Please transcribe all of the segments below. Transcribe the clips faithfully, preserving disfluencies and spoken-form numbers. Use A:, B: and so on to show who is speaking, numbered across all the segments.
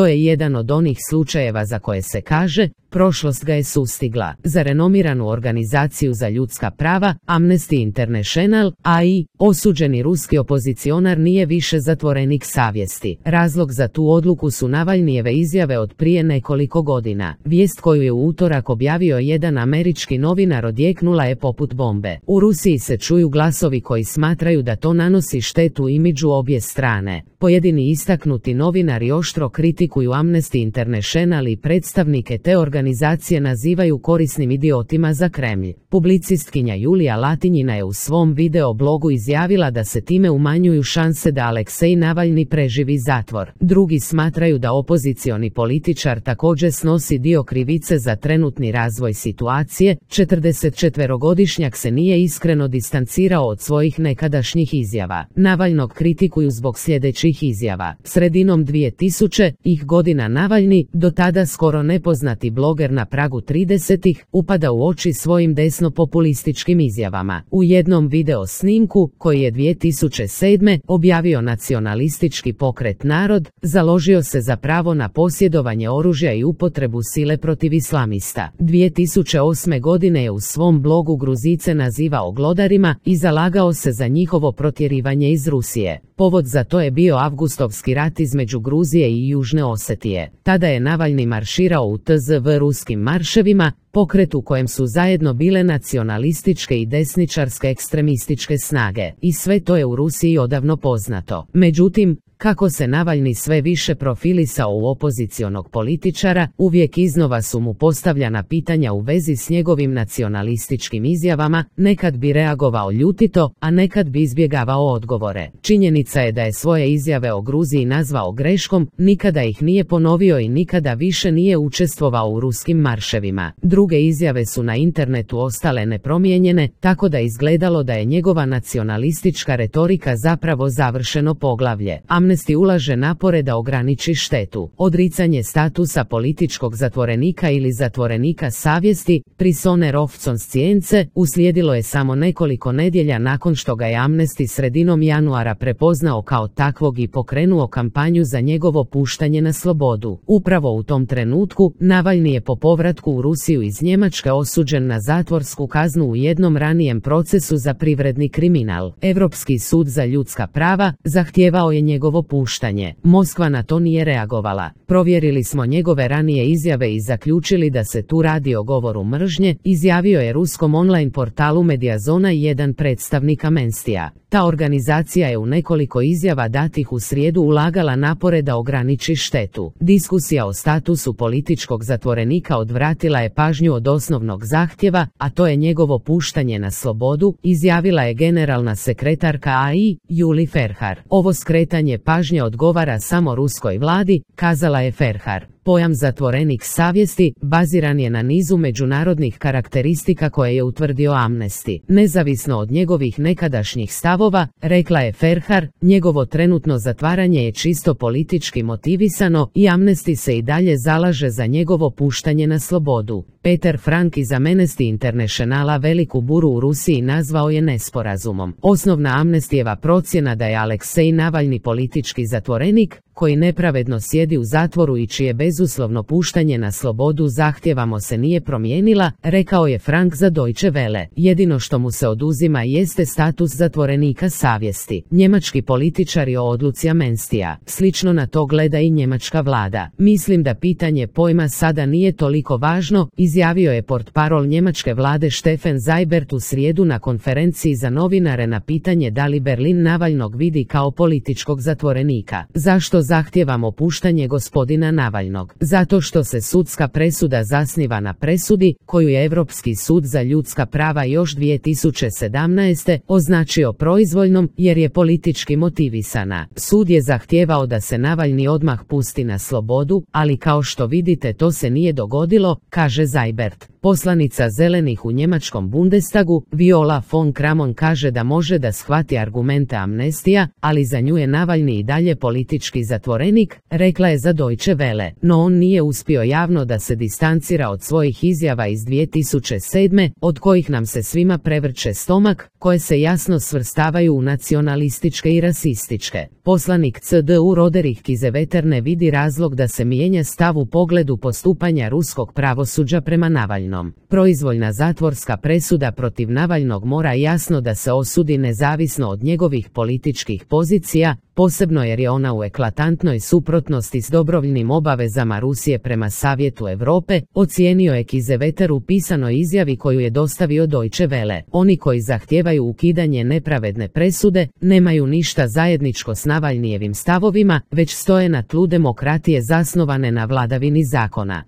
A: To je jedan od onih slučajeva za koje se kaže, prošlost ga je sustigla. Za renomiranu organizaciju za ljudska prava, Amnesty International, a i osuđeni ruski opozicionar nije više zatvorenik savjesti. Razlog za tu odluku su Navalnijeve izjave od prije nekoliko godina. Vijest koju je u utorak objavio jedan američki novinar odjeknula je poput bombe. U Rusiji se čuju glasovi koji smatraju da to nanosi štetu imidžu obje strane. Pojedini istaknuti novinari oštro kritikuju Amnesty International i predstavnike te organizacije nazivaju korisnim idiotima za Kremlj. Publicistkinja Julija Latinjina je u svom video blogu izjavila da se time umanjuju šanse da Aleksej Navalni preživi zatvor. Drugi smatraju da opozicioni političar također snosi dio krivice za trenutni razvoj situacije. četrdesetčetverogodišnjak se nije iskreno distancirao od svojih nekadašnjih izjava. Navalnog kritikuju zbog sljedećih izjava. Sredinom dvije tisućih godina Navalni, do tada skoro nepoznati bloger na pragu tridesetih, upada u oči svojim desno-populističkim izjavama. U jednom video snimku, koji je dvije tisuće sedme objavio nacionalistički pokret Narod, založio se za pravo na posjedovanje oružja i upotrebu sile protiv islamista. dvije tisuće osme godine je u svom blogu Gruzice nazivao glodarima i zalagao se za njihovo protjerivanje iz Rusije. Povod za to je bio avgustovski rat između Gruzije i Južne Osetije. Tada je Navalni marširao u T Z V ruskim marševima, pokret u kojem su zajedno bile nacionalističke i desničarske ekstremističke snage. I sve to je u Rusiji odavno poznato. Međutim, kako se Navalni sve više profilisao u opozicionog političara, uvijek iznova su mu postavljana pitanja u vezi s njegovim nacionalističkim izjavama, nekad bi reagovao ljutito, a nekad bi izbjegavao odgovore. Činjenica je da je svoje izjave o Gruziji nazvao greškom, nikada ih nije ponovio i nikada više nije učestvovao u ruskim marševima. Druge izjave su na internetu ostale nepromijenjene, tako da izgledalo da je njegova nacionalistička retorika zapravo završeno poglavlje. Amnesty ulaže napore da ograniči štetu. Odricanje statusa političkog zatvorenika ili zatvorenika savjesti, prisoner of conscience, uslijedilo je samo nekoliko nedjelja nakon što ga je Amnesty sredinom januara prepoznao kao takvog i pokrenuo kampanju za njegovo puštanje na slobodu. Upravo u tom trenutku, Navalni je po povratku u Rusiju iz Njemačke osuđen na zatvorsku kaznu u jednom ranijem procesu za privredni kriminal. Europski sud za ljudska prava zahtijevao je njegovo puštanje. Moskva na to nije reagovala. Provjerili smo njegove ranije izjave i zaključili da se tu radi o govoru mržnje, izjavio je ruskom online portalu Mediazona jedan predstavnik Amnestija. Ta organizacija je u nekoliko izjava datih u srijedu ulagala napore da ograniči štetu. Diskusija o statusu političkog zatvorenika odvratila je pažnju od osnovnog zahtjeva, a to je njegovo puštanje na slobodu, izjavila je generalna sekretarka A I, Juli Ferhar. Ovo skretanje pažnje odgovara samo ruskoj vladi, kazala je Ferhar. Pojam zatvorenik savjesti baziran je na nizu međunarodnih karakteristika koje je utvrdio Amnesty. Nezavisno od njegovih nekadašnjih stavova, rekla je Ferhar, njegovo trenutno zatvaranje je čisto politički motivisano i Amnesty se i dalje zalaže za njegovo puštanje na slobodu. Peter Frank iz Amnesty Internationala veliku buru u Rusiji nazvao je nesporazumom. Osnovna Amnestyjeva procjena da je Aleksej Navalni politički zatvorenik, koji nepravedno sjedi u zatvoru i čije bezuslovno puštanje na slobodu zahtjevamo se nije promijenila, rekao je Frank za Deutsche Welle. Jedino što mu se oduzima jeste status zatvorenika savjesti. Njemački političari o odluci Amnestyja. Slično na to gleda i njemačka vlada. Mislim da pitanje pojma sada nije toliko važno, izjavio je portparol njemačke vlade Steffen Seibert u srijedu na konferenciji za novinare na pitanje da li Berlin Navalnog vidi kao političkog zatvorenika. Zašto zahtijevamo puštanje gospodina Navalnog? Zato što se sudska presuda zasniva na presudi, koju je Europski sud za ljudska prava još dvije tisuće sedamnaeste označio proizvoljnom jer je politički motivisana. Sud je zahtijevao da se Navalni odmah pusti na slobodu, ali kao što vidite to se nije dogodilo, kaže Seibert. Poslanica zelenih u njemačkom Bundestagu, Viola von Kramon, kaže da može da shvati argumente amnestija, ali za nju je Navalni i dalje politički zatvorenik, rekla je za Deutsche Welle, no on nije uspio javno da se distancira od svojih izjava iz dvije tisuće sedme, od kojih nam se svima prevrće stomak, koje se jasno svrstavaju u nacionalističke i rasističke. Poslanik C D U Roderich Kiesewetter ne vidi razlog da se mijenja stav u pogledu postupanja ruskog pravosuđa prema Navalnom. Proizvoljna zatvorska presuda protiv Navalnog mora jasno da se osudi nezavisno od njegovih političkih pozicija, posebno jer je ona u eklatantnoj suprotnosti s dobrovoljnim obavezama Rusije prema Savjetu Europe, ocijenio je Kiesewetter u pisanoj izjavi koju je dostavio Deutsche Welle. Oni koji zahtijevaju ukidanje nepravedne presude nemaju ništa zajedničko s Navalnijevim stavovima, već stoje na tlu demokratije zasnovane na vladavini zakona.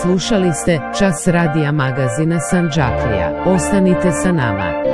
A: Slušali ste Čas radija magazina Sandžaklija. Ostanite sa nama.